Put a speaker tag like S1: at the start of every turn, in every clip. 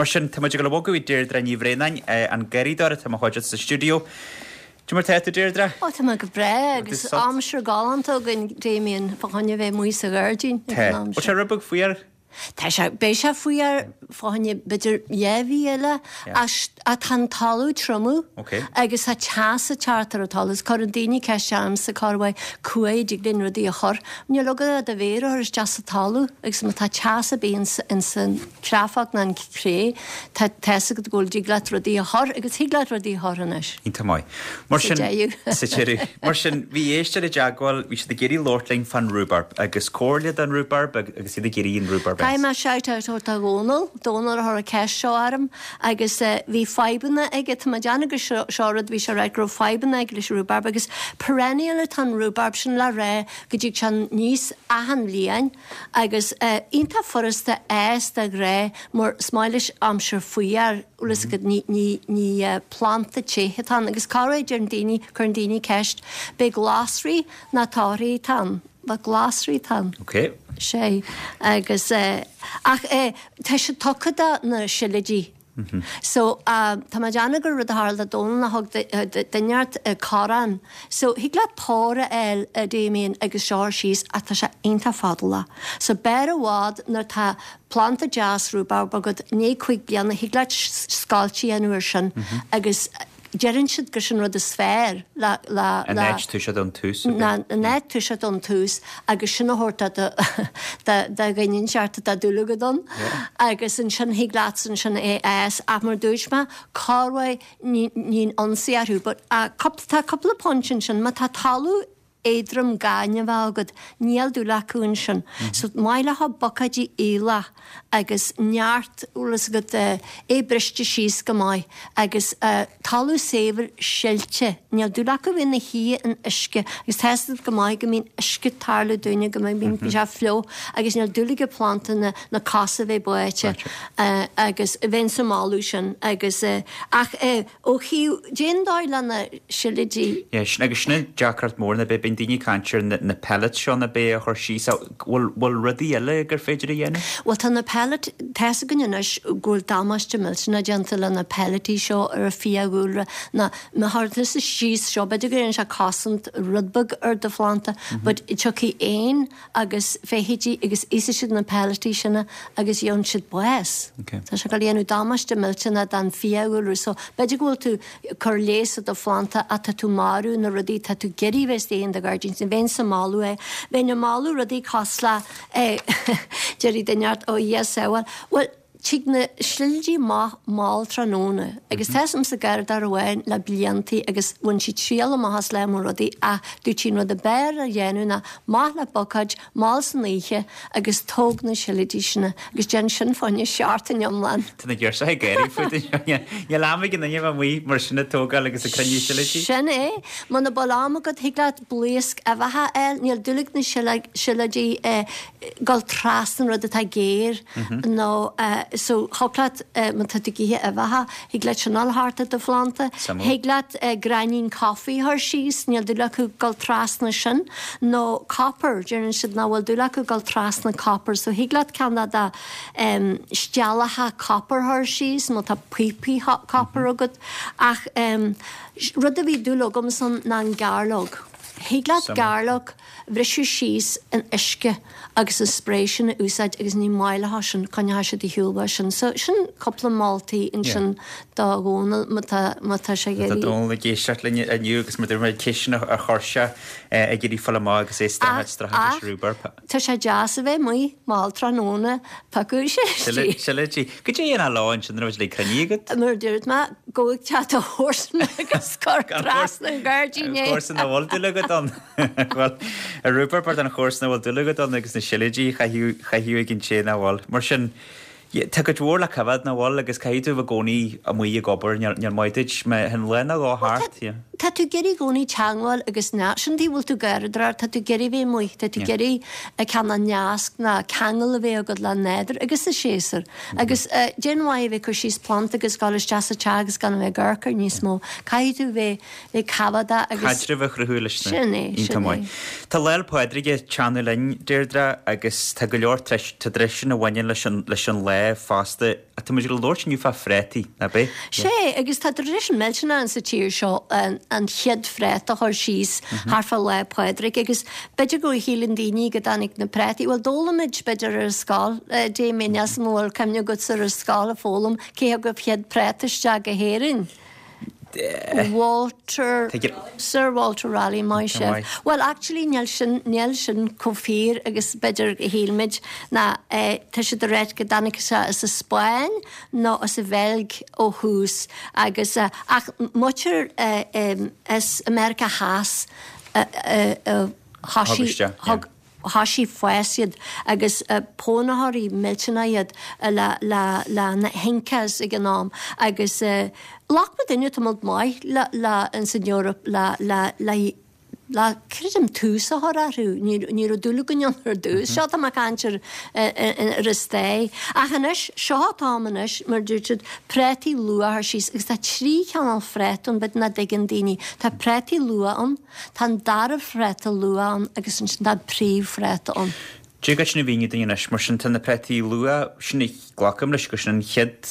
S1: Mar sin, tá muid ag dul a bhogadh chuig Deirdre Ní Bhraonáin, an garraíodóir atá i mo chuideachta sa stiúideo. Cad é mar tá tú, Deirdre?
S2: Ó, tá mé go breá agus aimsir galánta againn, Damien, fá choinne bheith amuigh sa ghairdín
S1: ag an am seo. Tá. Bhfuil sé rud beag fuar?
S2: Tá sé, beidh sé fuar fá choinne b'fhéidir dhá mhí eile ach tá an talamh triomú agus tá teas ag teacht ar an talamh is cuireann daoine ceist ormsa cá bhfuil cá fhad a dtig linn rudaí a chur. Níl agat ach do mhéar a chur isteach sa talamh agus má tá teas ar bith ins an chreafach ná an chré tá tá's agat go bhfuil dtig leat rudaí a chur agus thig leat rudaí a chur anois.
S1: Iontach maith. Mar sin, sa deireadh. Mar sin, bhí éisteoir i dteagmháil, bhí siad ag iarraidh labhairt linn fán rhubarb agus comhairle don rhubarb agus iad ag iarraidh an rhubarb a
S2: Caithfidh mé shout out a thabhairt do Dhónal, Dónal a chuir an ceist seo orm agus bhí fadhbanna aige, tá mé ag déanamh gur seo rud a bhí sé a ráit go raibh fadhbanna aige leis an rhubarb agus perennial atá an rhubarb sin le rá go dtig sé aníos achan bhliain Agus iontach furasta fhás de ghnáth mar is maith leis aimsir fuar, bhfuil fhios agat, ní, ní, ní planda te atá ann. Agus cá raibh, deireann daoine, cuireann daoine ceist, b'é glasraí ná torthaí atá ann? Bhuel glasraí atá ann.
S1: Ok.
S2: Sé. Agus, ach tá sé tugtha do na sileoidí. So, tá mé ag déanamh gur rud a tharla do Dónal ná thug duine inteacht corrán. So, thig leat pár a fháil, a Damien, agus seo a chur síos ach tá sé iontach fadálach. So, b'fhearr i bhfad nuair tá planda deas rhubarb agat, i ndiaidh 5 bliana, thig leat scoilt a dhéanamh ar sin agus deireann siad gur sin rud is fearr le, le,
S1: An le. áit toiseacht ón tús,
S2: ab ea? An áit toiseacht ón tús agus sin a thabhairt do, do, do dhuine inteacht atá dúil agat ann agus ansin thig leatsa ansin é a fhás ach mar dúirt mé, corruair ní, níonn ionsaí orthu but cúpla, tá cúpla pointe ansin, má tá talamh éadrom gaineamhach agat, níl dúil acu ansin. So maith leo buicéidí aolach agus neart, bhfuil fhios agat, é briste síos go maith agus talamh saibhir silte. Níl dúil acu bheith ina shuí in uisce agus tá fhios agat go maith go mbíonn uisce ag tarlú dúinne, go mbíonn sé fliuch agus níl dúil ag planda na na cosa bheith báite agus bheinnse ag moladh sin agus ach Ó thaobh, cén dóigh le na sileoidí.
S1: Yeah, sin, agus sin an deacracht mór, ná beidh, bíonn daoine ag caint ar na, na pellets seo ná beidh a chur síos, ach bhfuil, bhfuil rudaí eile gur féidir a dhéanamh?
S2: Bhuel tá na pellet, tá's againn anois go bhfuil damáiste millteanach déanta le na pelletaí seo ar an fiadhúlra, ná má chuireann tusa síos seo, b'fhéidir go ndéanann sé cosaint rud beag ar do phlanda, but tiocfaidh éin agus feithidí agus íosfaidh siad na pelletaí sin agus gheobhann siad bás. Tá sé ag dul a dhéanamh damáiste millteanach don fiadhúlra so b'fhéidir go bhfuil tú ag cur leigheas ar do phlanda ach tá tú marú na rudaí tá tú ag iarraidh a bheith istigh in do ghairdín. So bheinn ag moladh é. Bheinn ag moladh rudaí cosúil le déarfaidh duine ort ó Dhia sábháil. Bhuel, Tig na sileoidí amach mall tráthnóna agus tá fhios a'msa garraíodóir amháin le bliantaí agus bhain sí triail amach as leath mór rudaí ach dúirt sí an rud ab fhearr a dhéanamh ná amach le bucáid mall san oíche agus tóg na sileoidí sin agus déan sin fá choinne seachtain iomlán.
S1: Tá na girseacha ag gáirí fút anseo. Níl am ag an duine a bheith amuigh mar sin ag tógáil agus ag cruinniú sileoidí.
S2: Sin é. Muna bhfuil am agat thig leat blaosc uibheacha a fháil. Níl dúil ag na sileoidí dul trasna rud atá géar nó so thig leat má tá tú ag ithe uibheacha, thig leat sin a fháil thart ar do phlanda. Thig leat gráinnín coffee a chur síos, níl dúil acu dul trasna sin. Nó copper, deireann siad nach bhfuil dúil acu dul trasna copper so thig leat ceann de do steallacha copper a chur síos má tá píopaí copper agat. Ach rud a bhí dúil agamsa ann ná an gairleog. Thig leat gairleog bhriseadh síos in uisce agus an spray sin a úsáid agus ní maith leo sin, coinneoidh siad ar shiúl uait sin. So sin cúpla moltaí ansin do Dhónal má tá, má tá sé ag
S1: Tá iarraidh. Dónal ag éisteacht linn inniu agus mar dúirt mé ceisteanna a chuir sé ag iarraidh fáil amach agus é ag streachailt streachailt leis
S2: an rhubarb. Tá sé deas a bheith amuigh mall tráthnóna piocadh
S1: sileoidí. Sileoidí. Goidé a dhéanfá leo ansin nuair a bheadh siad cruinnithe
S2: agat? Mar a dúirt mé, gabh ag teach do chomharsan agus cuir trasna an ghairdín
S1: é. Comharsan a bhfuil dúil agat ann. Bhuel, an rhubarb don chomharsan a bhfuil dúil agat ann agus na sileoidí a chaithfeadh ag an té nach bhfuil. Mar sin, tá cuid mhór le coimhéad nach bhfuil agus caithfidh tú a bheith i gcónaí amuigh ag obair, níl maith duit má théann lá nó dhó thart.
S2: Tá tú ag iarraidh i gcónaí teangmháil agus na, sin an tuige a bhfuil tú ag garraíodóireacht, tá tú ag iarraidh bheith amuigh, tá tú ag iarraidh cineál nasc ná ceangal a bheith agat le nádúr agus sa séasúr. Agus cén mhaith a bheith ag cur síos planda agus dul isteach sa teach agus gan a bheith ag amharc air níos mó. Caithfidh tú bheith bheith coimhéadach
S1: agus. Caidreamh a chruthú leis
S2: na. Sin é, sin é.
S1: Tá Lá 'le Pádraig ag teannadh linn, Deirdre, agus tá go leor tá traidisiún a bhaineann leis an leis an lá. rá fosta. Tá muid ag labhairt inniu fá phréataí, nach b'é?
S2: Sé, agus tá traidisiún millteanach ann sa tír seo an chéad phréata a chur síos thart fá Lá Pádraig agus b'fhéidir go shíleann daoine go dtáinig na préataí, bhuel d'fhoghlaim muid b'fhéidir ar an scoil, Damien, níl 's a'm an bhfuil cuimhne agatsa ar an scoil a foghlaim cé thug an chéad préata isteach go hÉirinn. Walter, Sir Walter Raleigh, maith sibh. Bhuel, actually níl sin, níl sin chomh fíor agus b'fhéidir a shíl muid, ná tá siad ag ráit go dtáinig sé as an Spáinn nó as an Bheilg ó thús agus, ach maítear as America Theas a thoisigh, thug, thoisigh fás iad agus pailneoirí millteanach iad le le le na hIncas ag an am agus ghlac muidinne tamalt maith le le ins an Eoraip le le le le creidim tús a chur orthu ní ní raibh dúil againn ann ar dtús seo tá mé ag caint ar ar an stair ach anois seo an t-am anois mar dúirt siad préataí luath a chur síos agus tá 3 chineál phréata ann b'fhéidir nach dtuigeann daoine tá préataí luath ann Tá an dara phréata luath ann agus ansin tá an príomhphréata ann.
S1: Tig leat sin a mhíniú dúinn anois, mar sin tá na préataí luath, sin a glacaim leis gur sin an chéad.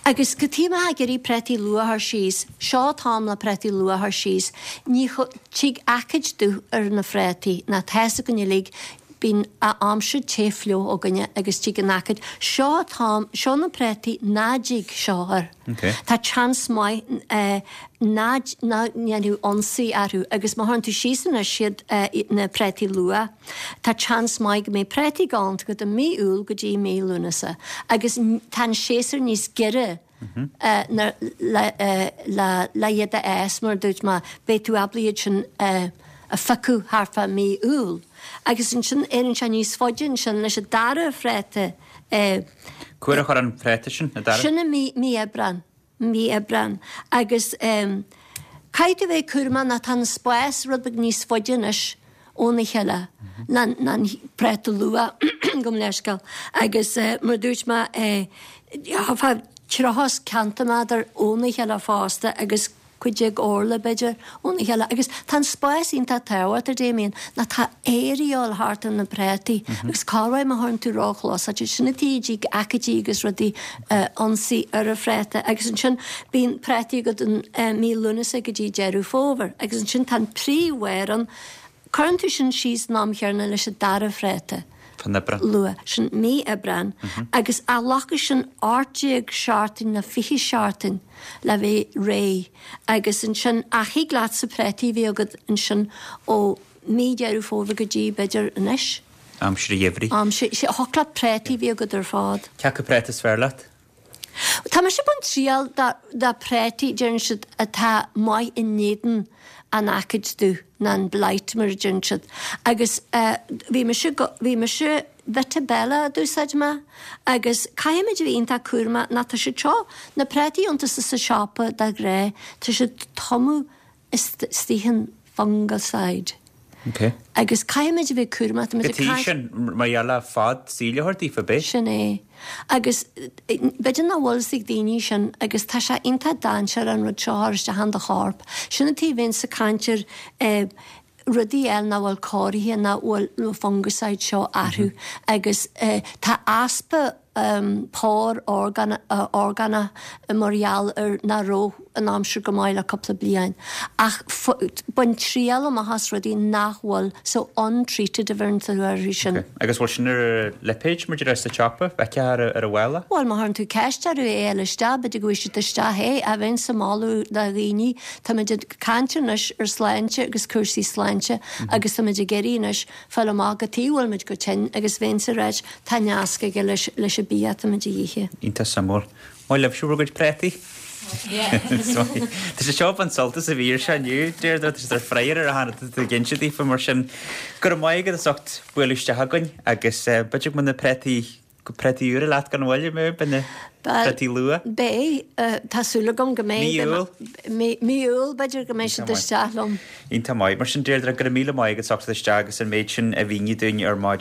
S2: Agus cad chuige a mbeifeá ag iarraidh préataí luath a chur síos, seo an t-am le préataí luath a chur síos, ní tig aicíd dubh ar na phréataí, ná tá 'fhios againn uilig, bíonn aimsir te fliuch againne agus tig an aicíd, seo an t-am, seo na préataí ná dtig seo air. Tá seans maith ná ndéanfaidh ionsaí orthu agus má chuireann tú síos anois iad na préataí luath, tá seans maith go mbeidh préataí galánta agat i mí Iúil go dtí mí Lúnasa agus tá an séasúr níos giorra le le iad a fhás mar a dúirt mé, beidh tú ábalta iad sin a phiocadh thart fá mí Iúil agus ansin éiríonn sé níos faide ansin leis an dara phréata.
S1: Cá huair a chur an préata sin, an dara?
S2: Sin i mí, mí Aibreán, mí Aibreán. Agus caithfidh tú a bheith cúramach ná tá an spás rud beag níos faide anois óna chéile ná ná an préata luath, gabh mo leithscéal. Agus mar a dúirt mé, fá 30 ceintiméadar óna chéile fosta agus 15 orla, b'fhéidir, óna chéile. Agus tá an spás iontach tábhachtach, Damien, ná tá aer a dhíobháil thart ar na préataí agus corruair má chuireann tú ró-chlós, sin an tuige a dtig aicídí agus rudaí ionsaí ar an phréata. Agus ansin bíonn préataí agat in mí Lúnasa go dtí Deireadh Fómhair. Agus ansin tá an príomhbharr ann. Cuireann tú sin síos an am chéanna leis an dara phréata.
S1: Fan Aibreán.
S2: Luath. Sin mí Aibreán. Agus glacfaidh sin 18 seachtain nó 20 seachtain le bheith réidh. Agus ansin, ach thig leatsa préataí a bheith agat ansin ó mí Deireadh Fómhair go dtí, b'fhéidir, anois.
S1: Aimsir an gheimhridh.
S2: Aimsir, thiocfadh leat préataí a bheith agat ar fad.
S1: Cé acu préata is fearr leat?
S2: Tá mise ag baint triail de préataí, deireann siad, atá maith in éadan an aicíd dubh, nó an blight mar a deireann siad. Agus bhí mise, bhí mise, Vitabella a d'úsáid mé agus caithfimid a bheith iontach cúramach ná tá siad seo, na préataí iontacha sa siopa de ghnáth, tá siad tumtha istigh in fungicide.
S1: Ok.
S2: Agus caithfimid a bheith cúramach, tá muid
S1: ag caint. Sin, mar gheall le fad saoil a thabhairt daofa, ab é?
S2: Sin é. Agus b'fhéidir nach bhfuil fhios ag daoine sin agus tá sé iontach dainséarach an rud seo a chur isteach in do chorp. Sin an tuige a bhíonns ag caint ar rudaí eile nach bhfuil cóirithe, nach bhfuil na fungicide seo orthu agus tá easpa pór orgánach mar gheall ar nach raibh an aimsir go maith le cúpla bliain. Ach bain triail amach as rudaí nach bhfuil so untreated a bheireann tú orthu sin.
S1: Ok. Agus bhfuil sin ar lipéid mar a déarfá sa tsiopa? Bhfeicfeá ar ar an mhála?
S2: Bhuel, má chuireann tú ceist orthu é a fháil isteach, b'fhéidir go bhfaighidh siad isteach é. Ach bheinnse ag moladh do dhaoine, táimid ag caint anois ar sláinte agus cúrsaí sláinte agus táimid ag iarraidh anois fáil amach cad chuige a bhfuil muid chomh tinn agus bheinnse ag ráit tá nasc aige leis leis an bia atá muid a dh'ithe.
S1: Iontach suimiúil. Maith libhse bhur gcuid préataí. Tá sé seo an sult as a bhí ar seo inniu, Deirdre, tá siad ar fire ar a tháinig tú ag inse daofa mar sin. Go raibh maith agat as ucht bualadh isteach againn agus b'fhéidir go mbeidh na préataí Préataí úra leat gan mhoill, beidh na préataí luath.
S2: Beidh, tá súil agam go mbeidh.
S1: Mí Iúil?
S2: Mí Iúil, b'fhéidir go mbeidh siad isteach liom.
S1: Iontach maith. Mar sin, Deirdre, go raibh míle maith agat as ucht isteach agus an méid sin a mhíniú dúinn ar maidin.